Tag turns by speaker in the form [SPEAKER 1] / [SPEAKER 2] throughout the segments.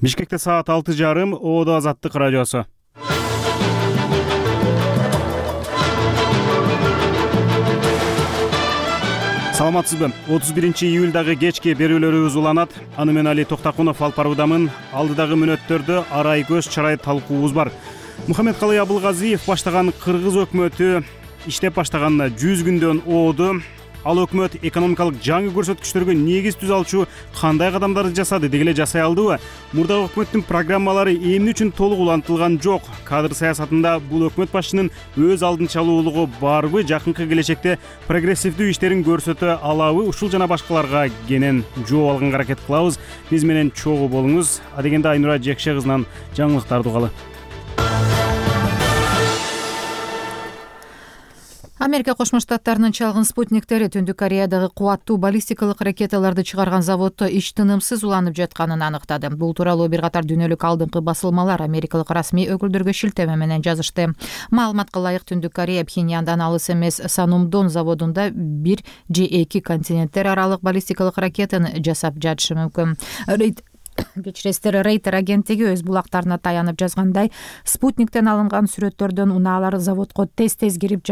[SPEAKER 1] Бишкекте саат 6:30, Оодо Азаттык радиосу. Саламатсызбы? 31-июлдагы кечки берүүлөрүбүз уланат. Аны мен Али Токтакунов алып баруудамын. Алдыдагы мүнөттөрдө арай көз чарай талкуубуз бар. Мухаммедкалый Абылгазиев баштаган кыргыз өкмөтү иштеп баштаганына 100 күндөн ооду. Ал өкмөт экономикалык жаңы көрсөткүчтөргө негиз түзө алчу кандай кадамдарды жасады, деги эле жасай алдыбы? Мурдагы өкмөттүн программалары эмне үчүн толук улантылган жок? Кадр саясатында бул өкмөт башчынын өз алдынчалуулугу барбы? Жакынкы келечекте прогрессивдүү иштерин көрсөтө алабы? Ушул жана башкаларга кенен жооп алганга аракет кылабыз. Биз менен чогуу болуңуз. Адегенде Айнура Жекше кызынан жаңылыктарды угалы.
[SPEAKER 2] Америка Кошмо Штаттарынын чалгын спутниктери Түндүк Кореядагы кубаттуу баллистикалык ракеталарды чыгарган заводдо ич тынымсыз уланып жатканын аныктады. Бул тууралуу бир катар дүйнөлүк алдыңкы басылмалар америкалык расмий өкүлдөргө шилтеме менен жазышты. Маалыматка ылайык, Түндүк Корея Пхеньяндан алыс эмес Санумдон заводунда 1 же 2 континенттер аралык баллистикалык ракетаны жасап жатышы мүмкүн. Рейтер агенттиги өз булактарына таянып жазгандай, спутниктен алынган сүрөттөрдөн унаалар заводко тез-тез кирип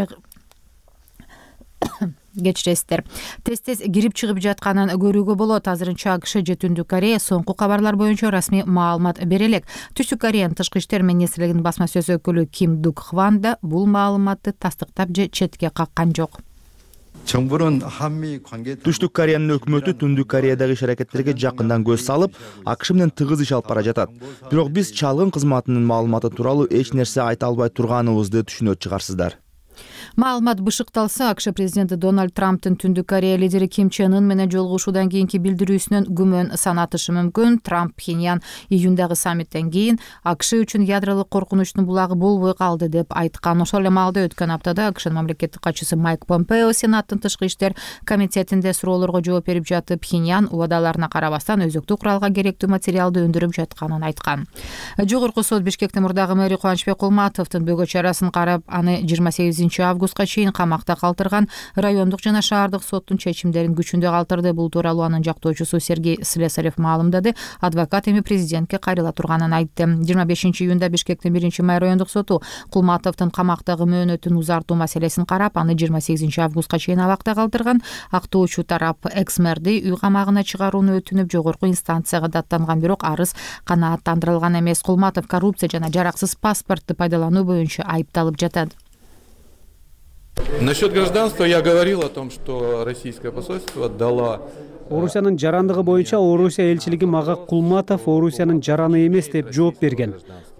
[SPEAKER 2] тез-тез кирип чыгып жатканын көрүүгө болот. Азырынча АКШ же Түндүк Корея соңку кабарлар боюнча расмий маалымат бере элек. Түштүк Кореянын тышкы иштер министрлигинин басма сөз өкүлү Ким Дук Хван да бул маалыматты тастыктап же четке каккан жок.
[SPEAKER 3] Түштүк Кореянын өкмөтү Түндүк Кореядагы иш-аракеттерге жакындан көз салып, АКШ менен тыгыз иш алып бара жатат. Бирок биз чалгын кызматынын маалыматы тууралуу эч нерсе айта албай турганыбызды түшүнөт чыгарсыздар.
[SPEAKER 2] Маалымат бышыкталса, АКШ президенти Дональд Трамптын Түндүк Корея лидери Ким Чен Ын менен жолугушуудан кийинки билдирүүсүнөн күмөн санатышы мүмкүн. Трамп Пхеньян июндагы саммиттен кийин АКШ үчүн ядролук коркунучтун булагы болбой калды деп айткан. Ошол эле маалда өткөн аптада АКШнын мамлекеттик катчысы Майк Помпео Сенаттын тышкы иштер комитетинде суроолорго жооп берип жатып, Пхеньян убадаларына карабастан өзөктүк куралга керектүү материалды өндүрүп жатканын айткан. Жогорку сот Бишкектин мурдагы мэри Кубанычбек Кулматовдун бөгө чарасын карап, аны 28 августка чейин камакта калтырган. Райондук жана шаардык соттун чечимдерин күчүндө калтырды. Бул тууралуу анын жактоочусу Сергей Слесарев маалымдады. Адвокат эми президентке кайрыла турганын айтты. 25 июнда Бишкектин 1-май райондук соту Кулматовдун камактагы мөөнөтүн узартуу маселесин карап, аны 28 августка чейин абакта калтырган. Актоочу тарап экс-мэрди үй камагына чыгарууну өтүнүп жогорку инстанцияга даттанган, бирок арыз канааттандырылган эмес. Кулматов коррупция жана жараксыз паспортду пайдалануу боюнча айыпталып жатат.
[SPEAKER 4] Насчет гражданства я говорил о том, что российское посольство дало.
[SPEAKER 5] Орусиянын жарандыгы боюнча Орусия элчилиги мага Кулматов Орусиянын жараны эмес деп жооп берген.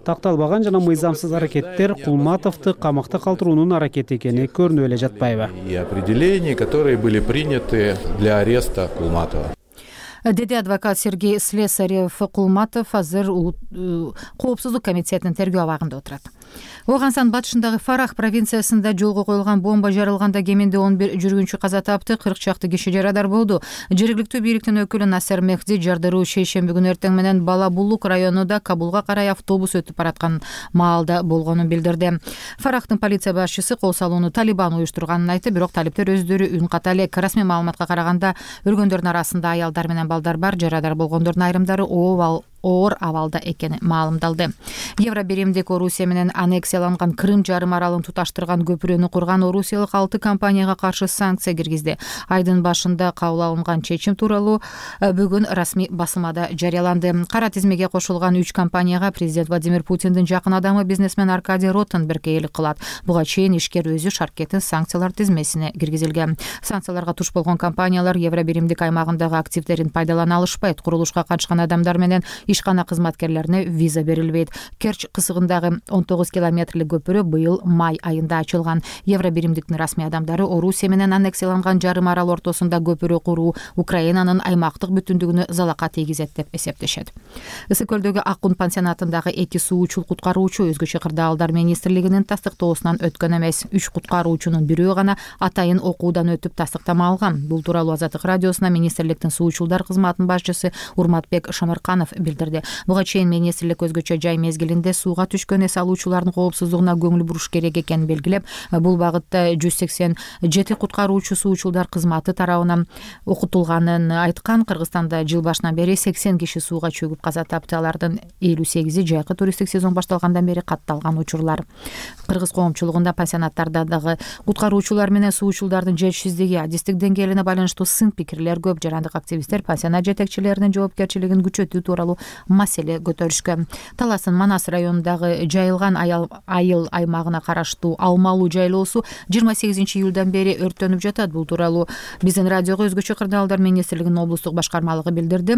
[SPEAKER 5] Такталбаган жана мыйзамсыз аракеттер Кулматовду камакта калтыруунун аракети экени көрүнүп эле жатпайбы?
[SPEAKER 4] И определения, которые были приняты для ареста Кулматова.
[SPEAKER 2] Деди адвокат Сергей Слесарев. Кулматов азыр коопсуздук комитетинин тергөө абагында отурат. Оганстан батышындагы Фарах провинциясында жолго коюлган бомба жарылганда кеминде 11 жүргүнчү каза тапты, 40 чакты киши жарадар болду. Жергиликтүү бийликтин өкүлү Насер Мехди жардыруу шейшемби күнү эртең менен Балабулук районунда Кабулга карай автобус өтүп бараткан маалда болгонун билдирди. Фарахтын полиция башчысы кол салууну Талибан уюштурганын айтты, бирок талиптер өздөрү үн ката элек. Расмий маалыматка караганда өлгөндөрдүн арасында аялдар менен балдар бар. Жарадар болгондордун айрымдары оор абалда экени маалымдалды. Евробиримдик Орусия менен аннексияланган Крым жарым аралын туташтырган көпүрөнү курган орусиялык 6 компанияга каршы санкция киргизди. Айдын башында кабыл алынган чечим тууралуу бүгүн расмий басмада жарыяланды. Кара тизмеге кошулган 3 компанияга президент Владимир Путиндин жакын адамы бизнесмен Аркадий Ротенберг ээлик кылат. Буга чейин ишкер өзү шаркеттин санкциялар тизмесине киргизилген. Санкцияларга туш болгон компаниялар Евробиримдик аймагындагы активдерин пайдалана алышпайт. Курулушка катышкан адамдар менен ишкана кызматкерлерине виза берилбейт. Керч кысыгындагы 19 километрлик көпүрө быйыл май айында ачылган. Евробиримдиктин расмий адамдары Орусия менен аннексияланган жарым арал ортосунда көпүрө куруу Украинанын аймактык бүтүндүгүнө залака тийгизет деп эсептешет. Ысык көлдөгү Аккун пансионатындагы 2 суучул куткаруучу өзгөчө кырдаалдар министрлигинин тастыктоосунан өткөн эмес. 3 куткаруучунун бирөө гана атайын окуудан өтүп тастыктама алган. Бул тууралуу Азаттык радиосуна министрликтин суучулдар кызматынын башчысы Урматбек Шамырканов билдирди. билдирди. Буга чейин министрлик өзгөчө жай мезгилинде сууга түшкөн эс алуучулардын коопсуздугуна көңүл буруш керек экенин белгилеп, бул багытта 187 куткаруучу суучулдар кызматы тарабынан окутулганын айткан. Кыргызстанда жыл башынан бери 80 киши сууга чөгүп каза тапты. Алардын 58-и жайкы туристтик сезон башталгандан бери катталган учурлар. Кыргыз коомчулугунда пансионаттарда дагы куткаруучулар менен суучулдардын жетишсиздиги, адистик деңгээлине байланыштуу сын пикирлер көп. Жарандык активисттер пансионат жетекчилеринин жоопкерчилигин күчөтүү тууралуу маселе көтөрүшкөн. Таластын Манас районундагы жайылган айыл аймагына караштуу Алмалуу жайлоосу 28 июлдан бери өрттөнүп жатат. Бул тууралуу биздин радиого өзгөчө кырдаалдар министрлигинин облустук башкармалыгы билдирди.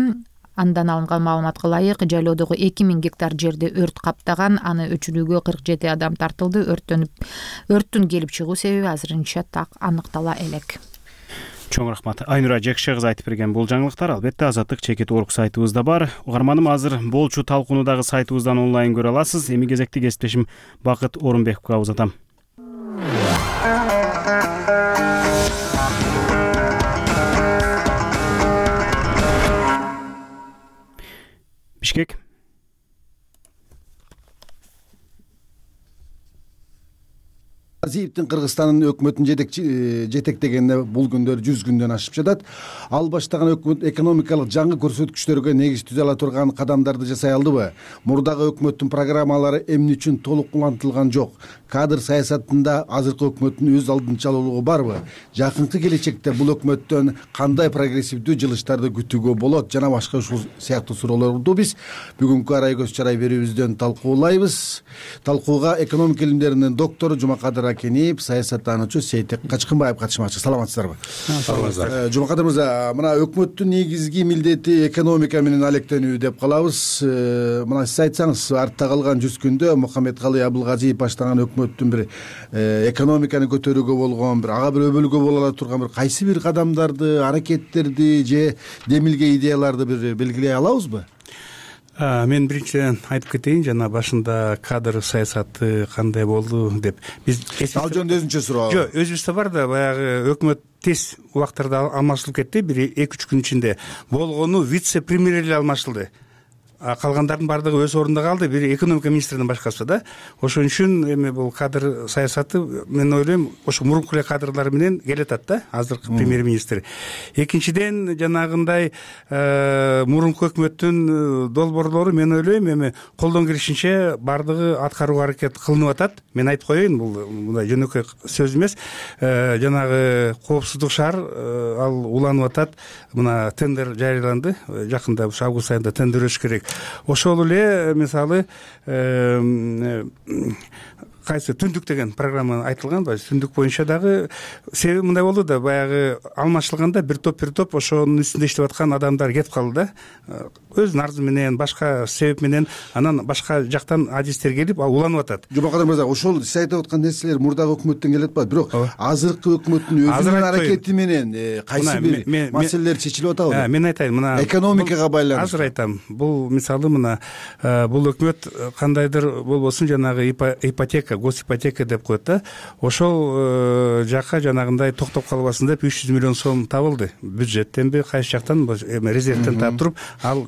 [SPEAKER 2] Андан алынган маалыматка ылайык, жайлоодогу 2000 гектар жерди өрт каптаган, аны өчүрүүгө 47 адам тартылды. Өрттүн келип чыгуу себеби азырынча так аныктала элек.
[SPEAKER 1] Чоң рахмат. Айнура Жекше кызы айтып берген бул жаңылыктар албетте Азаттык чекит орг сайтыбызда бар. Угарманым, азыр болчу талкууну дагы сайтыбыздан онлайн көрө аласыз. Эми кезекти кесиптешим Бакыт Орунбековго узатам. Бишкек.
[SPEAKER 6] Азиевдин Кыргызстандын өкмөтүн жетектегенине бул күндөр 100 күндөн ашып жатат. Ал баштаган өкмөт экономикалык жаңы көрсөткүчтөргө негиз түзө ала турган кадамдарды жасай алдыбы? Мурдагы өкмөттүн программалары эмне үчүн толук улантылган жок? Кадр саясатында азыркы өкмөттүн өз алдынчалуулугу барбы? Жакынкы келечекте бул өкмөттөн кандай прогрессивдүү жылыштарды күтүүгө болот? Жана башка ушул сыяктуу суроолорду биз бүгүнкү Арай көз чарай берүүбүздөн талкуулайбыз. Талкууга экономика илимдеринин доктору Жумакадыр Акениев, саясаттануучу Сейтек Качкынбаев катышмакчы. Саламатсыздарбы?
[SPEAKER 7] Саламатсыздар.
[SPEAKER 6] Жумакадыр мырза, мына өкмөттүн негизги милдети экономика менен алектенүү деп калабыз. Мына сиз айтсаңыз, артта калган 100 күндө Мухаммедкалый Абылгазиев баштаган өкмөттүн бир экономиканы көтөрүүгө болгон, ага бир өбөлгө боло ала турган бир кайсы бир кадамдарды, аракеттерди же демилге идеяларды бир белгилей алабызбы?
[SPEAKER 7] Мен биринчиден айтып кетейин, жана башында кадр саясаты кандай болду деп.
[SPEAKER 6] Ал жөнүндө өзүнчө суроо.
[SPEAKER 7] Жок, өзүбүздө бар да, баягы өкмөт тез убактарда алмашылып кетти. Бир 2-3 күн ичинде болгону вице-премьер эле алмашылды. Калгандардын баардыгы өз ордунда калды, бир экономика министринин башкасы да. Ошон үчүн эми бул кадр саясаты, мен ойлойм, ошо мурунку эле кадрлар менен келатат да, азыркы премьер-министр. Экинчиден, жанагындай мурунку өкмөттүн долбоорлору, мен ойлойм, эми колдон келишинче баардыгы аткарууга аракет кылынып атат. Мен айтып коеюн, бул мындай жөнөкөй сөз эмес. Жанагы коопсуздук шаар ал уланып атат. Мына тендер жарыяланды, жакында август айында тендер өтүш керек. Ошол эле мисалы кайсы түндүк деген программа айтылган, түндүк боюнча дагы себеби мындай болду да, баягы алмашылганда бир топ ошонун үстүндө иштеп аткан адамдар кетип калды да, өзүнүн арзы менен, башка себеп менен, анан башка жактан адистер келип уланып атат.
[SPEAKER 6] Жумакадыр мырза, ошол сиз айтып аткан нерселер мурдагы өкмөттөн келип атпайбы, бирок азыркы өкмөттүн өзүнүн аракети менен кайсы бир маселелер чечилип атабы?
[SPEAKER 7] Мен айтайын, мына
[SPEAKER 6] экономикага байланыштуу.
[SPEAKER 7] Азыр айтам, бул мисалы мына бул өкмөт кандайдыр болбосун жанагы ипотека, госипотека деп коет да, ошол жакка жанагындай токтоп калбасын деп 300 миллион сом табылды. Бюджеттенби, кайсы жактан, резервден таап туруп, ал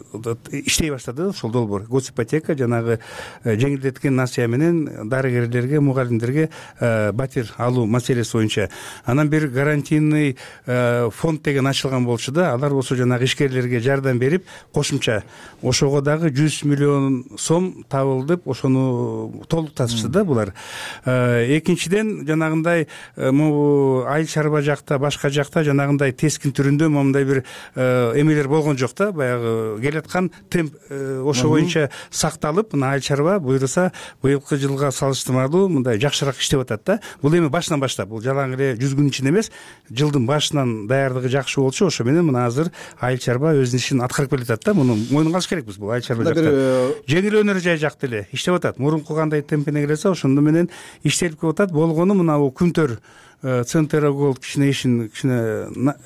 [SPEAKER 7] иштей баштады. Ошол долбоор госипотека жанагы жеңилдеткен насыя менен дарыгерлерге, мугалимдерге батир алуу маселеси боюнча. Анан бир гарантийный фонд деген ачылган болчу да, алар болсо жанагы ишкерлерге жардам берип, кошумча ошого дагы 100 миллион сом табылдып, ошону толуктатышты да булар. Экинчиден, жанагындай айыл чарба жакта, башка жакта жанагындай тескин түрүндө момундай бир эмелер болгон жок да, баягы келаткан темп ошо боюнча сакталып, мына айыл чарба буйруса быйылкы жылга салыштырмалуу мындай жакшыраак иштеп атат да. Бул эми башынан баштап, бул жалаң эле 100 күн ичинде эмес, жылдын башынан даярдыгы жакшы болчу, ошо менен мына азыр айыл чарба өзүнүн ишин аткарып келатат да. Муну мойнунга алыш керекпиз. Бул айыл чарба жакта жеңил өнөр жай жакта эле иштеп атат. Мурунку кандай темпине келсе, ошондо менен иштелип келип атат. Болгону мына Күнтөр Центр Голд кичине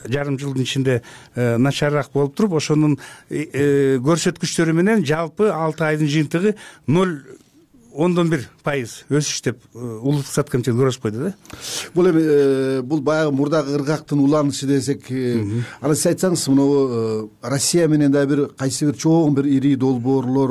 [SPEAKER 7] жарым жылдын ичинде начарыраак болуп туруп, ошонун көрсөткүчтөрү менен жалпы 6 айдын жыйынтыгы 0 10,1% өсүш деп улуттук саатка комитет көрсөтүп койду да.
[SPEAKER 6] Бул эми бул баягы мурдагы ыргактын уланышы десек, анан сиз айтсаңыз, мына Россия менен да бир кайсы бир чоң бир ири долбоорлор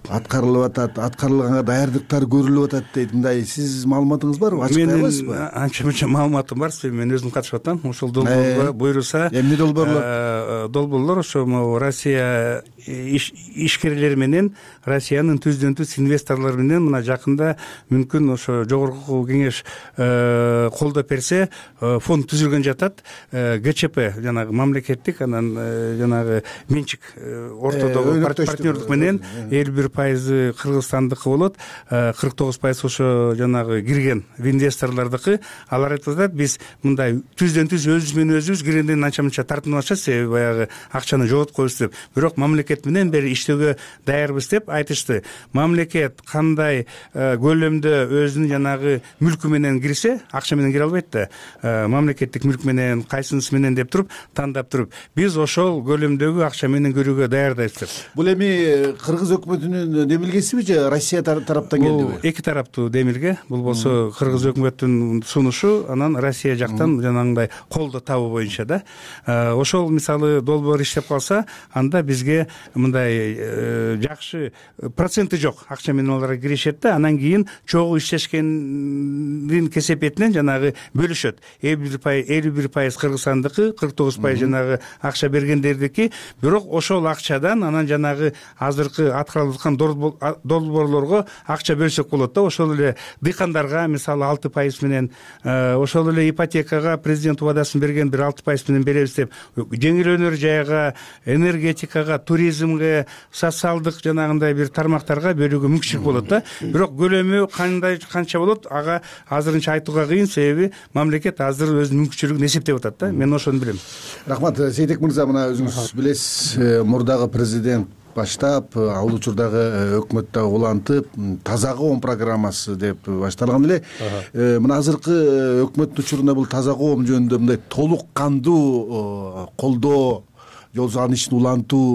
[SPEAKER 6] аткарылып атат, аткарылганга даярдыктар көрүлүп атат дейт. Мындай сиз маалыматыңыз барбы? Ачык айта аласызбы?
[SPEAKER 7] Менин анча мынча маалыматым бар, мен өзүм катышып атам. Ошол долбоорго буйруса,
[SPEAKER 6] эмне долбоорлор?
[SPEAKER 7] Долбоорлор ошо Россия ишкерлери менен, Россиянын түздөн-түз инвесторлору менен мына жакында мүмкүн ошо жогорку кеңеш колдоп берсе, фонд түзүлгөн жатат. ГЧП жанагы мамлекеттик, анан жанагы менчик ортодогу партнердук менен 51% кыргызстандыкы болот, 49% ошо жанагы кирген инвесторлордуку. Алар айтып атат, биз мындай түздөн-түз өзүбүз менен өзүбүз киргенден анча-мынча тартынып атышат, себеби баягы акчаны жоготкойбуз деп. Бирок мамлекет менен бери иштөөгө даярбыз деп айтышты. Мамлекет кандай көлөмдө өзүнүн жанагы мүлкү менен кирсе, акча менен кире албайт да. Мамлекеттик мүлк менен, кайсынысы менен деп туруп, тандап туруп, биз ошол көлөмдөгү акча менен көрүүгө даярдайбыз деп.
[SPEAKER 6] Бул эми кыргыз өкмөтүнүн демилгесиби же Россия тараптан келдиби?
[SPEAKER 7] Бул эки тараптуу демилге. Бул болсо кыргыз өкмөтүнүн сунушу, анан Россия жактан жанагындай колдоо табуу боюнча да. Ошол мисалы долбоор иштеп калса, анда бизге мындай жакшы проценти жок акча менен алар киришет да, анан кийин чогуу иштешкендин кесепетинен жанагы бөлүшөт. 51% Кыргызстандыкы, 49% жанагы акча бергендердики. Бирок ошол акчадан анан жанагы азыркы аткарылып аткан долбоорлорго акча бөлсөк болот да. Ошол эле дыйкандарга мисалы 6% менен, ошол эле ипотекага президент убадасын берген бир 6% менен беребиз деп, жеңил өнөр жайга, энергетикага, туризмге, социалдык жанагындай бир тармактарга бөлүүгө мүмкүнчүлүк болот да. Бирок көлөмү канча болот, ага азырынча айтууга кыйын, себеби мамлекет азыр өзүнүн мүмкүнчүлүгүн эсептеп атат да. Мен ошону билем.
[SPEAKER 6] Рахмат, Сейтек мырза, мына өзүңүз билесиз, мурдагы президент баштап, ал учурдагы өкмөт дагы улантып, таза коом программасы деп башталган эле. Мына азыркы өкмөттүн учурунда бул таза коом жөнүндө мындай толук кандуу колдоо, жол салган ишин улантуу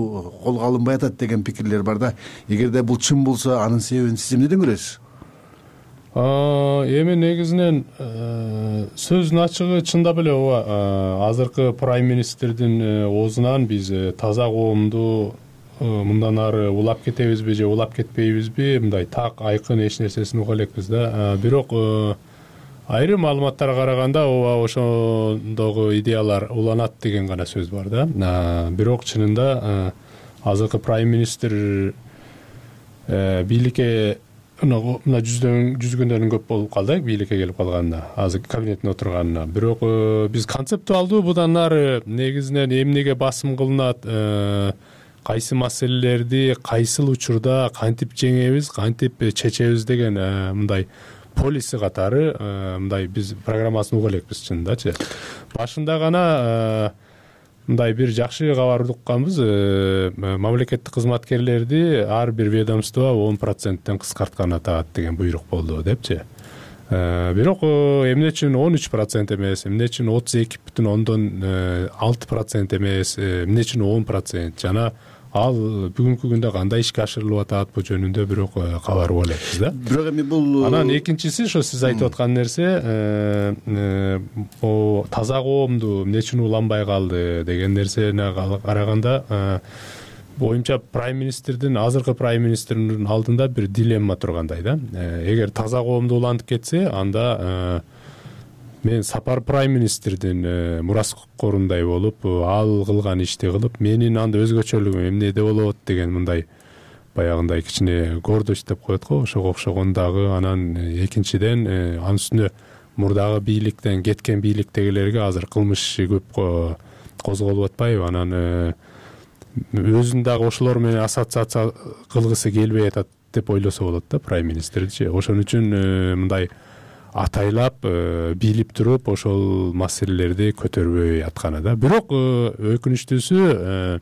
[SPEAKER 6] колго алынбай атат деген пикирлер бар да. Эгерде бул чын болсо, анын себебин сиз эмнеден көрөсүз?
[SPEAKER 8] Эми негизинен сөздүн ачыгы, чындап эле ооба, азыркы прайм-министрдин оозунан биз таза коомду мындан ары улап кетебизби же улап кетпейбизби, мындай так айкын эч нерсесин уга элекпиз да. Бирок айрым маалыматтарга караганда ооба ошондогу идеялар уланат деген гана сөз бар да. Бирок чынында азыркы прайм-министр бийликке мына жүзгөндөрүн көп болуп калды, бийликке келип калганына, азыр кабинеттин отурганына. Бирок биз концептуалдуу будан ары негизинен эмнеге басым кылынат, кайсы маселелерди кайсыл учурда кантип жеңебиз, кантип чечебиз деген мындай полиси катары мындай биз программасын уга элекпиз чынындачы. Башында гана мындай бир жакшы кабар укканбыз, мамлекеттик кызматкерлерди ар бир ведомство 10%тен кыскарткан атат деген буйрук болду депчи. Бирок эмне үчүн 13% эмес, эмне үчүн 32,6% эмес, эмне үчүн 10%, жана ал бүгүнкү күндө кандай ишке ашырылып атат бул жөнүндө бирок кабар уга элекпиз да.
[SPEAKER 6] Бирок эми бул
[SPEAKER 8] анан экинчиси ошо сиз айтып аткан нерсе, таза коомду эмне үчүн уланбай калды деген нерсени караганда, боюмча прайм-министрдин, азыркы прайм-министрдин алдында бир дилемма тургандай да. Эгер таза коомду улантып кетсе, анда мен Сапар прайм-министрдин мураскорундай болуп, ал кылган ишти кылып, менин анда өзгөчөлүгүм эмнеде болот деген мындай баягындай кичине гордость деп коет го, ошого окшогон дагы. Анан экинчиден анын үстүнө мурдагы бийликтен кеткен бийликтегилерге азыр кылмыш көп козголуп атпайбы, анан өзүн дагы ошолор менен ассоциация кылгысы келбей атат деп ойлосо болот да прайм-министрчи. Ошон үчүн мындай атайлап билип туруп ошол маселелерди көтөрбөй атканы да. Бирок өкүнүчтүүсү,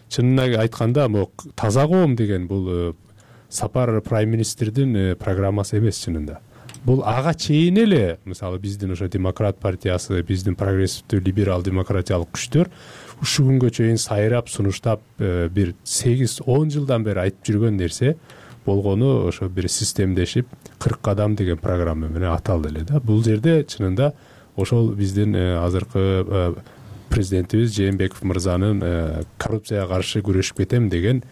[SPEAKER 8] чынын айтканда, могу таза коом деген бул Сапар прайм-министрдин программасы эмес чынында. Бул ага чейин эле, мисалы биздин ошо демократ партиясы, биздин прогрессивдүү либерал демократиялык күчтөр ушу күнгө чейин сайрап, сунуштап бир 8-10 жылдан бери айтып жүргөн нерсе, болгону ошо бир системдешип 40 кадам деген программа менен аталды эле да. Бул жерде чынында ошол биздин азыркы президентибиз Жээнбеков мырзанын коррупцияга каршы күрөшүп кетем деген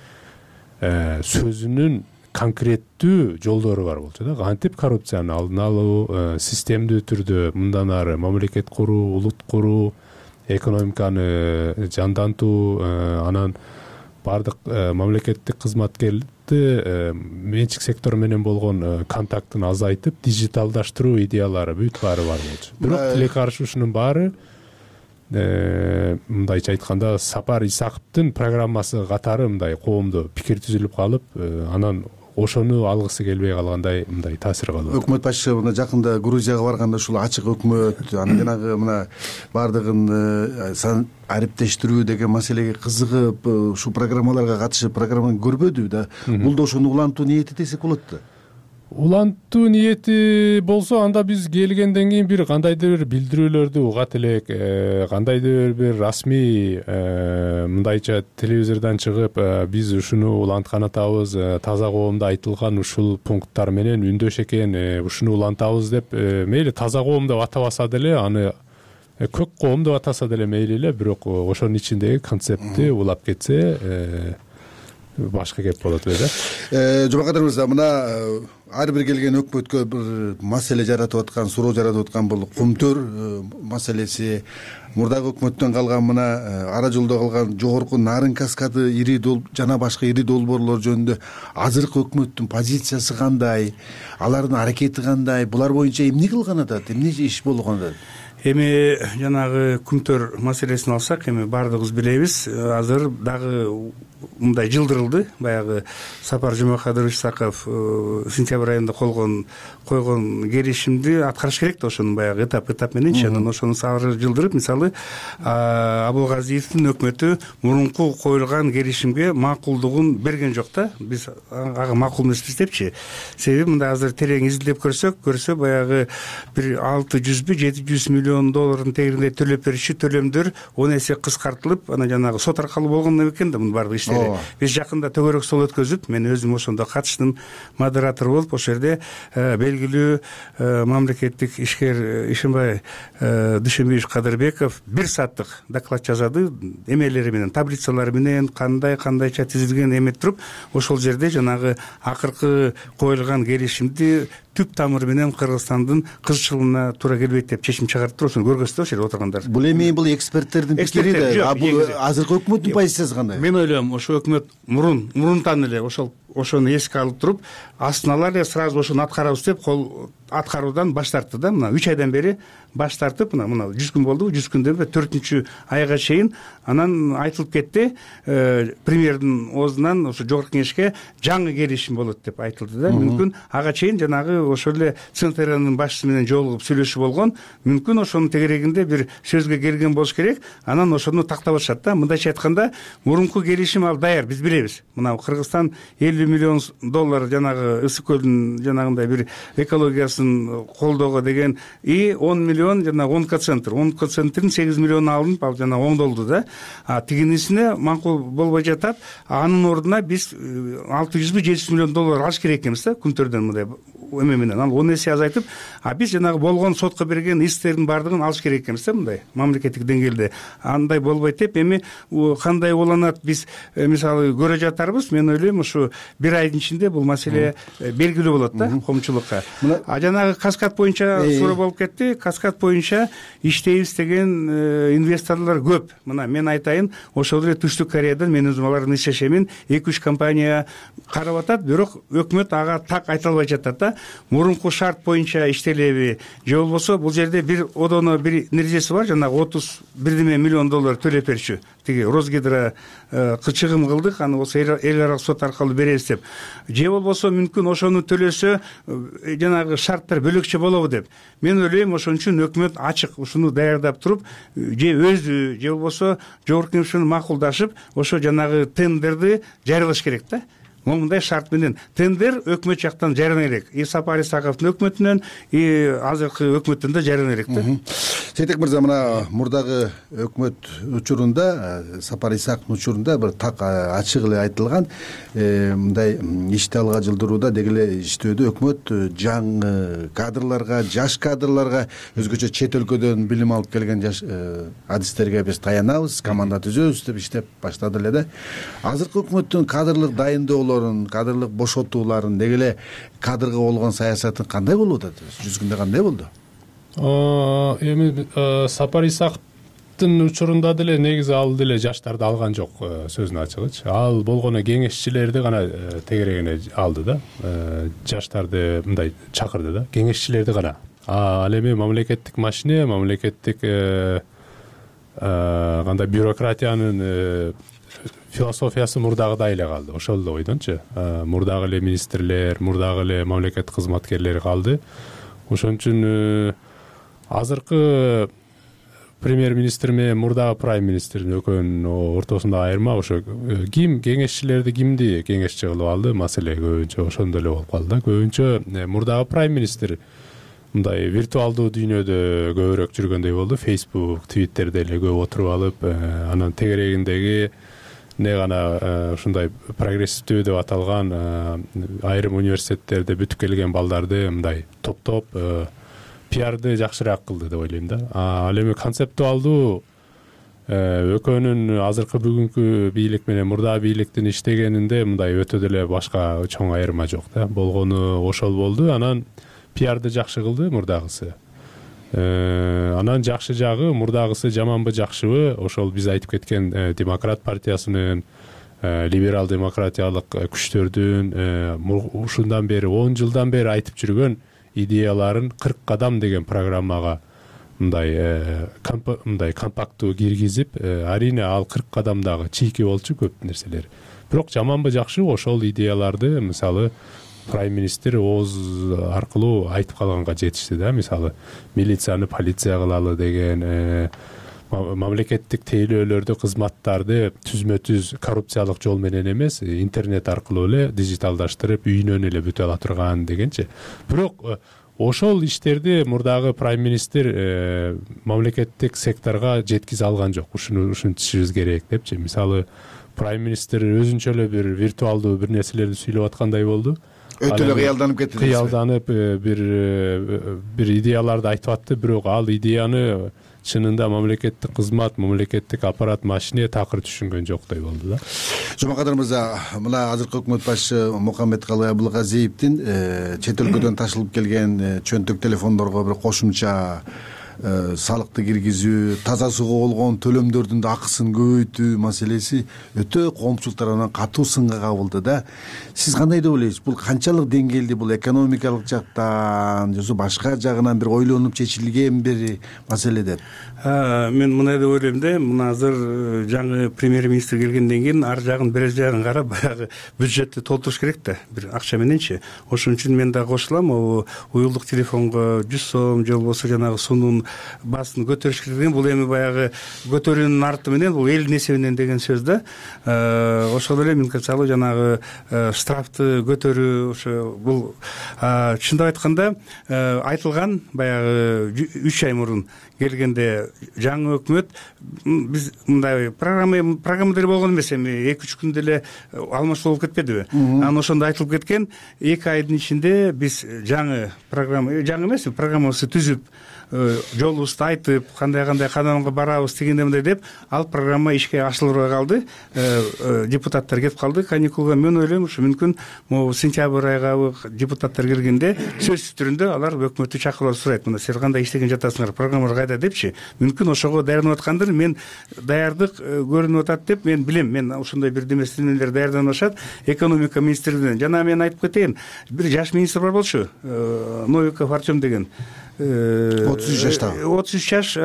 [SPEAKER 8] сөзүнүн конкреттүү жолдору бар болчу да. Кантип коррупцияны алдын алуу, системдүү түрдө мындан ары мамлекет куруу, улут куруу, экономиканы жандантуу, анан баардык мамлекеттик кызматкерди менчик сектор менен болгон контактын азайтып, дижиталдаштыруу идеялары бүт баары бар болчу. Бирок тилекке каршы ушунун баары мындайча айтканда Сапар Исаковдун программасы катары мындай коомдо пикир түзүлүп калып, анан ошону алгысы келбей калгандай мындай таасир калып.
[SPEAKER 6] Өкмөт башчысы мына жакында Грузияга барганда ушул ачык өкмөт, анан жанагы мына баардыгын ариптештирүү деген маселеге кызыгып, ушул программаларга катышып, программаны көрбөдү да. Бул да ошону улантуу ниети десек болот да.
[SPEAKER 8] Улантуу ниети болсо, анда биз келгенден кийин бир кандайдыр бир билдирүүлөрдү угат элек, кандайдыр бир расмий мындайча телевизордон чыгып, биз ушуну уланткан атабыз, таза коомдо айтылган ушул пункттар менен үндөш экен, ушуну улантабыз деп, мейли таза коом деп атабаса деле, аны көк коом деп атаса деле мейли эле, бирок ошонун ичиндеги концептти улап кетсе башка кеп болот эле да.
[SPEAKER 6] Жомакадыр мырза, мына ар бир келген өкмөткө бир маселе жаратып аткан, суроо жаратып аткан бул Кумтөр маселеси. Мурдагы өкмөттөн калган мына ара жолдо калган жогорку Нарын каскады жана башка ири долбоорлор жөнүндө азыркы өкмөттүн позициясы кандай, алардын аракети кандай, булар боюнча эмне кылган атат, эмне иш болгон атат?
[SPEAKER 7] Эми жанагы Кумтөр маселесин алсак, эми баардыгыбыз билебиз, азыр дагы мындай жылдырылды. Баягы Сапар Жумакадырович Исаков сентябрь айында койгон келишимди аткарыш керек да, ошонун баягы этап мененчи. Анан ошону сары жылдырып, мисалы Абылгазиевдин өкмөтү мурунку коюлган келишимге макулдугун берген жок да. Биз ага макул эмеспиз депчи. Себеби мындай азыр терең изилдеп көрсө баягы бир 600-700 миллион доллардын тегеринде төлөп берүүчү төлөмдөр 10 эсе кыскартылып, анан жанагы сот аркылуу болгон экен да мунун баардык иштери. Биз жакында төгөрөк стол өткөзүп, мен өзүм ошондо катыштым, модератор болуп, ошол жерде белгилүү мамлекеттик ишкер Ишенбай Дүйшөнбиевич Кадырбеков 1 сааттык доклад жазады, эмелери менен, таблицалары менен, кандайча тизилген эметип туруп, ошол жерде жанагы акыркы коюлган келишимди түп тамыры менен Кыргызстандын кызчылыгына туура келбейт деп чечим чыгартып, ошону көргөзсүз ошол жерде отургандар.
[SPEAKER 6] Бул эми бул эксперттердин пикири да, бул азыркы өкмөттүн позициясы кандай?
[SPEAKER 7] Мен ойлойм, ошо өкмөт мурунтан эле ошону эске алып туруп, астына эле сразу ошону аткарабыз деп аткаруудан баш тартты да. Мына 3 айдан бери баш тартып, мына 100 күн болду, 100 күндөн 4-чү айга чейин анан айтылып кетти, премьердин оозунан ошо жогорку кеңешке жаңы келишим болот деп айтылды да. Мүмкүн ага чейин жанагы ошол эле ЦНТРнын башчысы менен жолугуп сүйлөшүү болгон, мүмкүн ошонун тегерегинде бир сөзгө келген болуш керек, анан ошону тактап атышат да. Мындайча айтканда, мурунку келишим ал даяр, биз билебиз. Мына Кыргызстан 50 миллион доллар жанагы Ысык көлдүн жанагындай бир экологиясын колдоого деген 10 миллион жана онкоцентрдин 8 миллион алынып, ал жана оңдолду да. Тигинисине макул болбой жатат. Анын ордуна биз 600-700 миллион доллар алыш керек экенбиз да, Кумтөрдөн мындай эме менен. Ал 10 эсе азайтып, биз жанагы болгон сотко берген исктердин баардыгын алыш керек экенбиз да, мындай мамлекеттик деңгээлде. Андай болбойт деп, эми кандай уланат биз мисалы көрө жатарбыз. Мен ойлойм, ушу 1 айдын ичинде бул маселе белгилүү болот да коомчулукка. Жанагы Каскад боюнча суроо болуп кетти. Каскад боюнча иштейбиз деген инвесторлор көп. Мына мен айтайын, ошол эле Түштүк Кореядан мен өзүм алардын иш-чечемин 2-3 компания карап атат, бирок өкмөт ага так айта албай жатат да. Мурунку шарт боюнча иштелеби же болбосо бул жерде бир одоно бир нерсеси бар, жанагы 31 миллион доллар төлөп берчү. Тиги Росгидро чыгым кылдык, аны болсо эл аралык сот аркылуу беребиз деп. Же болбосо мүмкүн ошону төлөсө жанагы шарттар бөлөкчө болобу деп. Мен ойлойм, ошон үчүн өкмөт ачык ушуну даярдап туруп, же өзү же болбосо жогорку кеңеш менен макулдашып, ошо жанагы тендерди жарыялаш керек да. момундай шарт менен тендер өкмөт жактан жарана элек, и Сапар Исаковдун өкмөтүнөн, и азыркы өкмөттөн да жарана элек да.
[SPEAKER 6] Сейтек мырза, мына мурдагы өкмөт учурунда, Сапар Исаковдун учурунда бир так ачык эле айтылган, мындай ишти алга жылдырууда деги эле иштөөдө өкмөт жаңы кадрларга, жаш кадрларга, өзгөчө чет өлкөдөн билим алып келген жаш адистерге биз таянабыз, команда түзөбүз деп иштеп баштады эле да. Азыркы өкмөттүн кадрлык дайындоолорун, кадрлык бошотууларын, деги эле кадрга болгон саясатын кандай болуп атат? Жүзгүндө кандай болду?
[SPEAKER 8] Эми Сапар Исаковдун учурунда деле негизи ал деле жаштарды алган жок, сөзүнүн ачыгычы. Ал болгону кеңешчилерди гана тегерегине алды да, жаштарды мындай чакырды да, кеңешчилерди гана. Ал эми мамлекеттик машине, мамлекеттик кандай бюрократиянын философиясы мурдагыдай эле калды, ошол эле ойдончу. Мурдагы эле министрлер, мурдагы эле мамлекет кызматкерлери калды. Ошон үчүн азыркы премьер-министр менен мурдагы прайм-министрдин экөөнүн ортосунда айырма ошо ким кеңешчилерди кимди кеңешчи кылып алды, маселе көбүнчө ошондой эле болуп калды да. Көбүнчө мурдагы прайм-министр мындай виртуалдуу дүйнөдө көбүрөөк жүргөндөй болду. Facebook, Twitterде эле көп отуруп алып, анан тегерегиндеги не гана ушундай прогрессивдүү деп аталган айрым университеттерде бүтүп келген балдарды мындай топтоп пиарды жакшыраак кылды деп ойлойм да. Ал эми концептуалдуу экөөнүн азыркы бүгүнкү бийлик менен мурдагы бийликтин иштегенинде мындай өтө деле башка чоң айырма жок да. Болгону ошол болду. Анан пиарды жакшы кылды мурдагысы. Анан жакшы жагы, мурдагысы жаманбы жакшыбы, ошол биз айтып кеткен демократ партиясынын, либерал демократиялык күчтөрдүн ушундан бери 10 жылдан бери айтып жүргөн идеяларын 40 кадам деген программага мындай компакттуу киргизип, арине ал 40 кадамдагы чийки болчу көп нерселер. Бирок жаманбы жакшыбы ошол идеяларды мисалы прайм-министр ооз аркылуу айтып калганга жетишти да. Мисалы милицияны полиция кылалы деген, мамлекеттик тейлөөлөрдү, кызматтарды түзмө-түз коррупциялык жол менен эмес, интернет аркылуу эле дижиталдаштырып, үйүнөн эле бүтө ала турган дегенчи. Бирок ошол иштерди мурдагы прайм-министр мамлекеттик секторго жеткизе алган жок. Ушуну түшүнүшүбүз керек депчи. Мисалы прайм-министр өзүнчө эле бир виртуалдуу бир нерселерди сүйлөп аткандай болду.
[SPEAKER 6] Өтө эле кыялданып кетти.
[SPEAKER 8] Кыялданып бир идеяларды айтып атты, бирок ал идеяны чынында мамлекеттик кызмат, мамлекеттик аппарат, машине такыр түшүнгөн жоктой болду да.
[SPEAKER 6] Жомакадыр мырза, мына азыркы өкмөт башчы Мухаммедкалый Абылгазиевдин чет өлкөдөн ташылып келген чөнтөк телефондорго бир кошумча салыкты киргизүү, таза сууга болгон төлөмдөрдүн да акысын көбөйтүү маселеси өтө коомчулук тарабынан катуу сынга кабылды да. Сиз кандай деп ойлойсуз? Бул канчалык деңгээлде, бул экономикалык жактан же башка жагынан бир ойлонуп чечилген бир маселе деп?
[SPEAKER 7] Мен мындай деп ойлойм да, мына азыр жаңы премьер-министр келгенден кийин ар жагын бир жагын карап баягы бюджетти толтуруш керек да, бир акча мененчи. Ошон үчүн мен да кошулам, уюлдук телефонго 100 сом же болбосо жанагы суунун баасын көтөрүш керек деген, бул эми баягы көтөрүүнүн арты менен бул элдин эсебинен деген сөз да. Ошол эле мисалы жанагы штрафты көтөрүү, ошо бул чындап айтканда айтылган баягы 3 ай мурун келгенде жаңы өкмөт биз мындай программада эле болгон эмес, эми 2-3 күндө эле алмашуу болуп кетпедиби? Анан ошондо айтылып кеткен 2 айдын ичинде биз жаңы программа, жаңы эмес, программабызды түзүп, жолубузду айтып, кандай кадамга барабыз дегенде мындай деп, ал программа ишке ашырылбай калды. Депутаттар кетип калды каникулга. Мен ойлойм, ушу мүмкүн могу сентябрь айга депутаттар келгенде сөзсүз түрүндө алар өкмөттү чакырып сурайт, мына силер кандай иштеген жатасыңар, программалар кайда депчи. Мүмкүн ошого даярданып аткандыр. Мен даярдык көрүнүп атат деп мен билем. Мен ошондой бир деместенелер даярданып атышат экономика министрлигинен. Жана мен айтып кетейин, бир жаш министр бар болчу, Новиков Артем деген.
[SPEAKER 6] 33 жаштагы
[SPEAKER 7] 33 жаш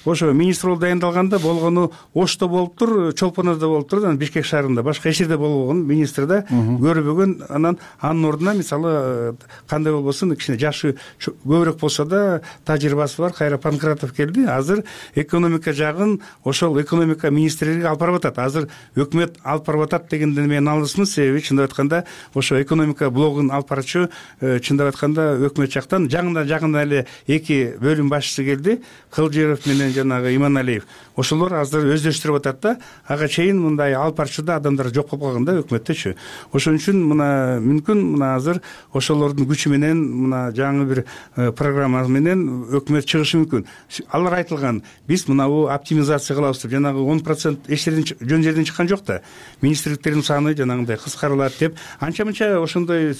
[SPEAKER 7] ошо министр болуп дайындалганда болгону Ошто болуптур, Чолпоноодо болуптур, анан Бишкек шаарында, башка эч жерде болбогон, министр да көрбөгөн. Анан анын ордуна мисалы кандай болбосун кичине жашы көбүрөөк болсо да тажрыйбасы бар Кайра Панкратов келди. Азыр экономика жагын ошол экономика министрлиги алып барып атат. Азыр өкмөт алып барып атат дегенден мен алысмын, себеби чындап айтканда ошо экономика блогун алып барчу чындап айтканда өкмөт жактан жакында эле 2 бөлүм башчысы келди, Кылжыров менен жанагы Иманалиев. Ошолор азыр өздөштүрүп атат да, ага чейин мындай алып барчуда адамдар жок болуп калган да өкмөттөчү. Ошон үчүн мына мүмкүн мына азыр ошолордун күчү менен мына жаңы бир программа менен өкмөт чыгышы мүмкүн. Алар айтылган, биз мынабу оптимизация кылабыз деп, жанагы 10% эч жерден жөн жерден чыккан жок да. Министрликтердин саны жанагындай кыскарылат деп, анча-мынча ошондой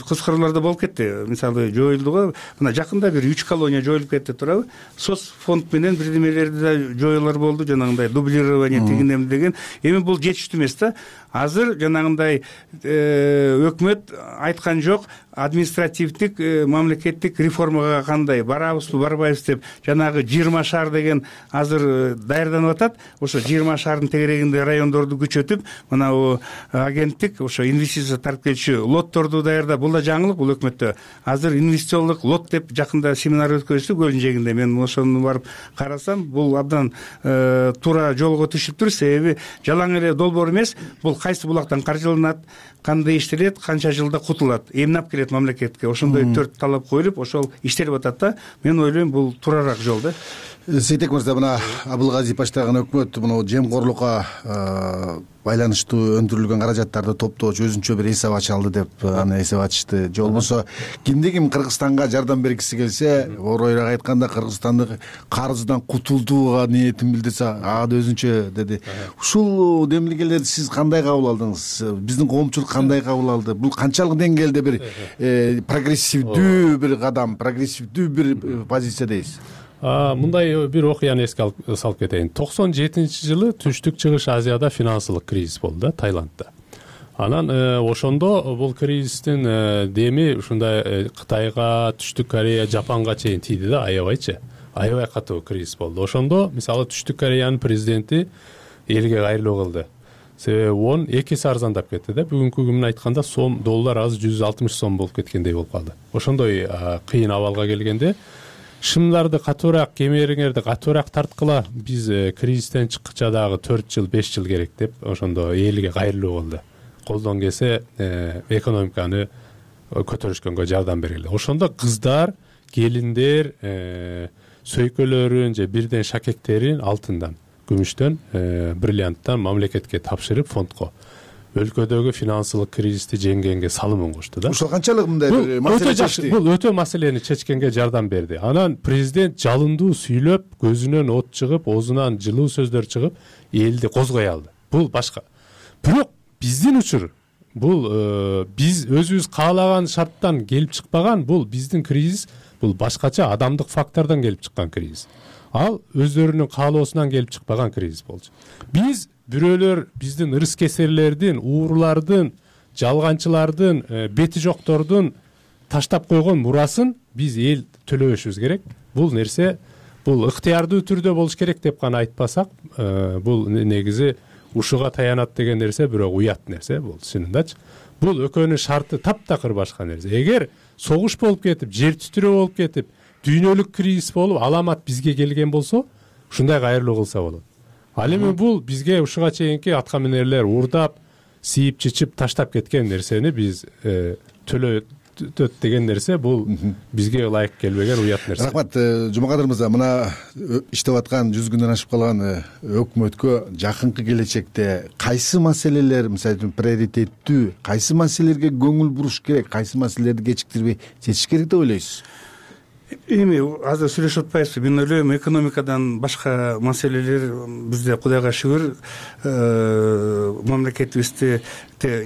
[SPEAKER 7] кыскаруулар да болуп кетти. Мисалы жоюлду го, мына жакында бир 3 колония жоюлуп кетти турабы. Соц фонд менен бирдемелерди да жоюлар болду, жанагындай дублирование тигиндем деген. Эми бул жетиштүү эмес да. Азыр жанагындай өкмөт айткан жок, административдик мамлекеттик реформага кандай барабызбы, барбайбыз деп, жанагы 20 шаар деген азыр даярданып атат. Ошо 20 шаардын тегерегинде райондорду күчөтүп, мына агенттик ошо инвестиция тартып келчү лотторду даярдап, бул да жаңылык бул өкмөттө. Азыр инвестициялык лот деп жакында семинар өткөздү Көлдүн жээгинде. Мен ошону барып карасам, бул абдан туура жолго түшүптүр, себеби жалаң эле долбоор эмес, бул кайсы булактан каржыланат, кандай иштелет, канча жылда кутулат, эмнап келет мамлекетке. Ошондой 4 талап коюлуп, ошол иштелип атат да. Мен ойлойм, бул туураараак жол да.
[SPEAKER 6] Сейтек мырза, мына Абылгазиев баштаган өкмөт мына жемкорлукка байланыштуу өндүрүлгөн каражаттарды топтоочу өзүнчө бир эсеп ача алды деп аны эсеп ачышты. Же болбосо кимди ким Кыргызстанга жардам бергиси келсе, оройраак айтканда Кыргызстандык карыздан кутулууга ниетин билдирсе, ага да өзүнчө деди. Ушул демилгелерди сиз кандай кабыл алдыңыз? Биздин коомчулук кандай кабыл алды? Бул канчалык деңгээлде бир прогрессивдүү бир кадам, прогрессивдүү бир позиция дейсиз?
[SPEAKER 8] Мындай бир окуяны эске салып кетейин. 97-жылы Түштүк Чыгыш Азияда финансылык кризис болду да, Таиландда. Анан ошондо бул кризистин деми ушундай Кытайга, Түштүк Корея, Жапанга чейин тийди да, аябайчы. Аябай катуу кризис болду. Ошондо мисалы Түштүк Кореянын президенти элге кайрылуу кылды. Себеби вон 2 эсе арзандап кетти да. Бүгүнкү күнүнөн айтканда доллар азыр 160 сом болуп кеткендей болуп калды. Ошондой кыйын абалга келгенде шымдарды катуураак, кемериңерди катуураак тарткыла, биз кризистен чыккыча дагы 4 жыл, 5 жыл керек деп, ошондо элге кайрылуу кылды. Колдон келсе экономиканы көтөрүшкөнгө жардам бергиле. Ошондо кыздар, келиндер сөйкөлөрүн же бирден шакектерин алтындан, күмүштөн, бриллианттан мамлекетке тапшырып фондко өлкөдөгү финансылык кризисти жеңгенге салымын кошту да.
[SPEAKER 6] Ошол канчалык мындай бир маселе чечти?
[SPEAKER 8] Бул өтө маселени чечкенге жардам берди. Анан президент жалындуу сүйлөп, көзүнөн от чыгып, оозунан жылуу сөздөр чыгып, элди козгой алды. Бул башка. Бирок биздин учур бул биз өзүбүз каалаган шарттан келип чыкпаган, бул биздин кризис, бул башкача адамдык фактордон келип чыккан кризис. Ал өздөрүнүн каалоосунан келип чыкпаган кризис болчу. Биз бирөөлөр биздин ырыс кесерлердин, уурулардын, жалганчылардын, бети жоктордун таштап койгон мурасын биз эл төлөбөшүбүз керек. Бул нерсе бул ыктыярдуу түрдө болуш керек деп гана айтпасак, бул негизи ушуга таянат деген нерсе бирок уят нерсе бул, чынындачы. Бул экөөнүн шарты таптакыр башка нерсе. Эгер согуш болуп кетип, жер титирөө болуп кетип, дүйнөлүк кризис болуп, аламат бизге келген болсо, ушундай кайрылуу кылса болот. Ал эми бул бизге ушуга чейинки атка минерлер уурдап, сийип чичип таштап кеткен нерсени биз төлөтөт деген нерсе, бул бизге ылайык келбеген уят нерсе.
[SPEAKER 6] Рахмат, Жумакадыр мырза, мына иштеп аткан 100 күндөн ашып калган өкмөткө жакынкы келечекте кайсы маселелер, мисалы приоритеттүү, кайсы маселелерге көңүл буруш керек, кайсы маселелерди кечиктирбей чечиш керек деп ойлойсуз?
[SPEAKER 7] Эми азыр сүйлөшүп атпайбызбы? Мен ойлойм, экономикадан башка маселелер бизде Кудайга шүгүр мамлекетибизде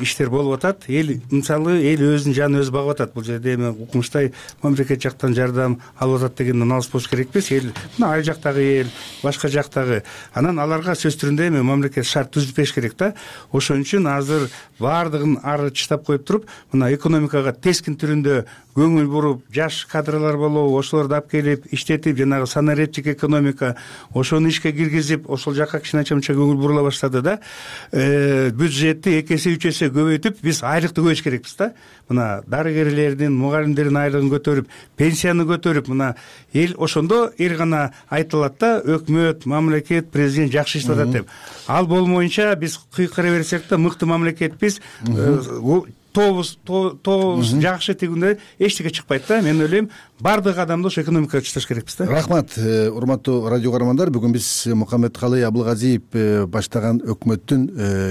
[SPEAKER 7] иштер болуп атат. Эл мисалы өзүнүн жанын өзү багып атат. Бул жерде эми укмуштай мамлекет жактан жардам алып атат дегенден алыс болуш керекпиз. Эл мына ай жактагы эл, башка жактагы. Анан аларга сөз түрүндө эми мамлекет шарт түзүп бериш керек да. Ошон үчүн азыр баардыгын ары чыштап коюп туруп, мына экономикага тескин түрүндө көңүл буруп, жаш кадрлар болобу, ошолорду алып келип иштетип, жанагы санариптик экономика ошону ишке киргизип, ошол жакка кичине мынча көңүл бурула баштады да, бюджетти 2 эсе 3 эсе көбөйтүп, биз айлыкты көбөйтүш керекпиз да. Мына дарыгерлердин, мугалимдердин айлыгын көтөрүп, пенсияны көтөрүп, мына эл ошондо эл гана айтылат да, өкмөт, мамлекет, президент жакшы иштеп атат деп. Ал болмоюнча биз кыйкыра берсек да, мыкты мамлекетпиз, тобуз жакшы тигинде эчтеке чыкпайт да. Мен ойлойм, баардык адамды ошо экономикага чыдаш керекпиз да.
[SPEAKER 6] Рахмат, урматтуу радио каармандар. Бүгүн биз Мухаммедкалый Абылгазиев баштаган өкмөттүн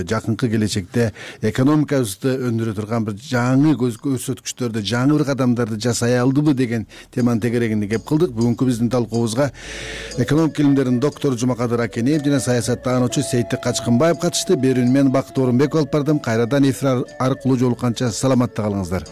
[SPEAKER 6] жакынкы келечекте экономикабызды өндүрө турган бир жаңы көрсөткүчтөрдү, жаңы бир кадамдарды жасай алдыбы деген теманын тегерегинде кеп кылдык. Бүгүнкү биздин талкуубузга экономика илимдеринин доктору Жумакадыр Акенеев жана саясаттануучу Сейиттик Качкынбаев катышты. Берүүнү мен Бакыт Орунбеков алып бардым. Кайрадан эфир аркылуу жолукканча саламатта калыңыздар.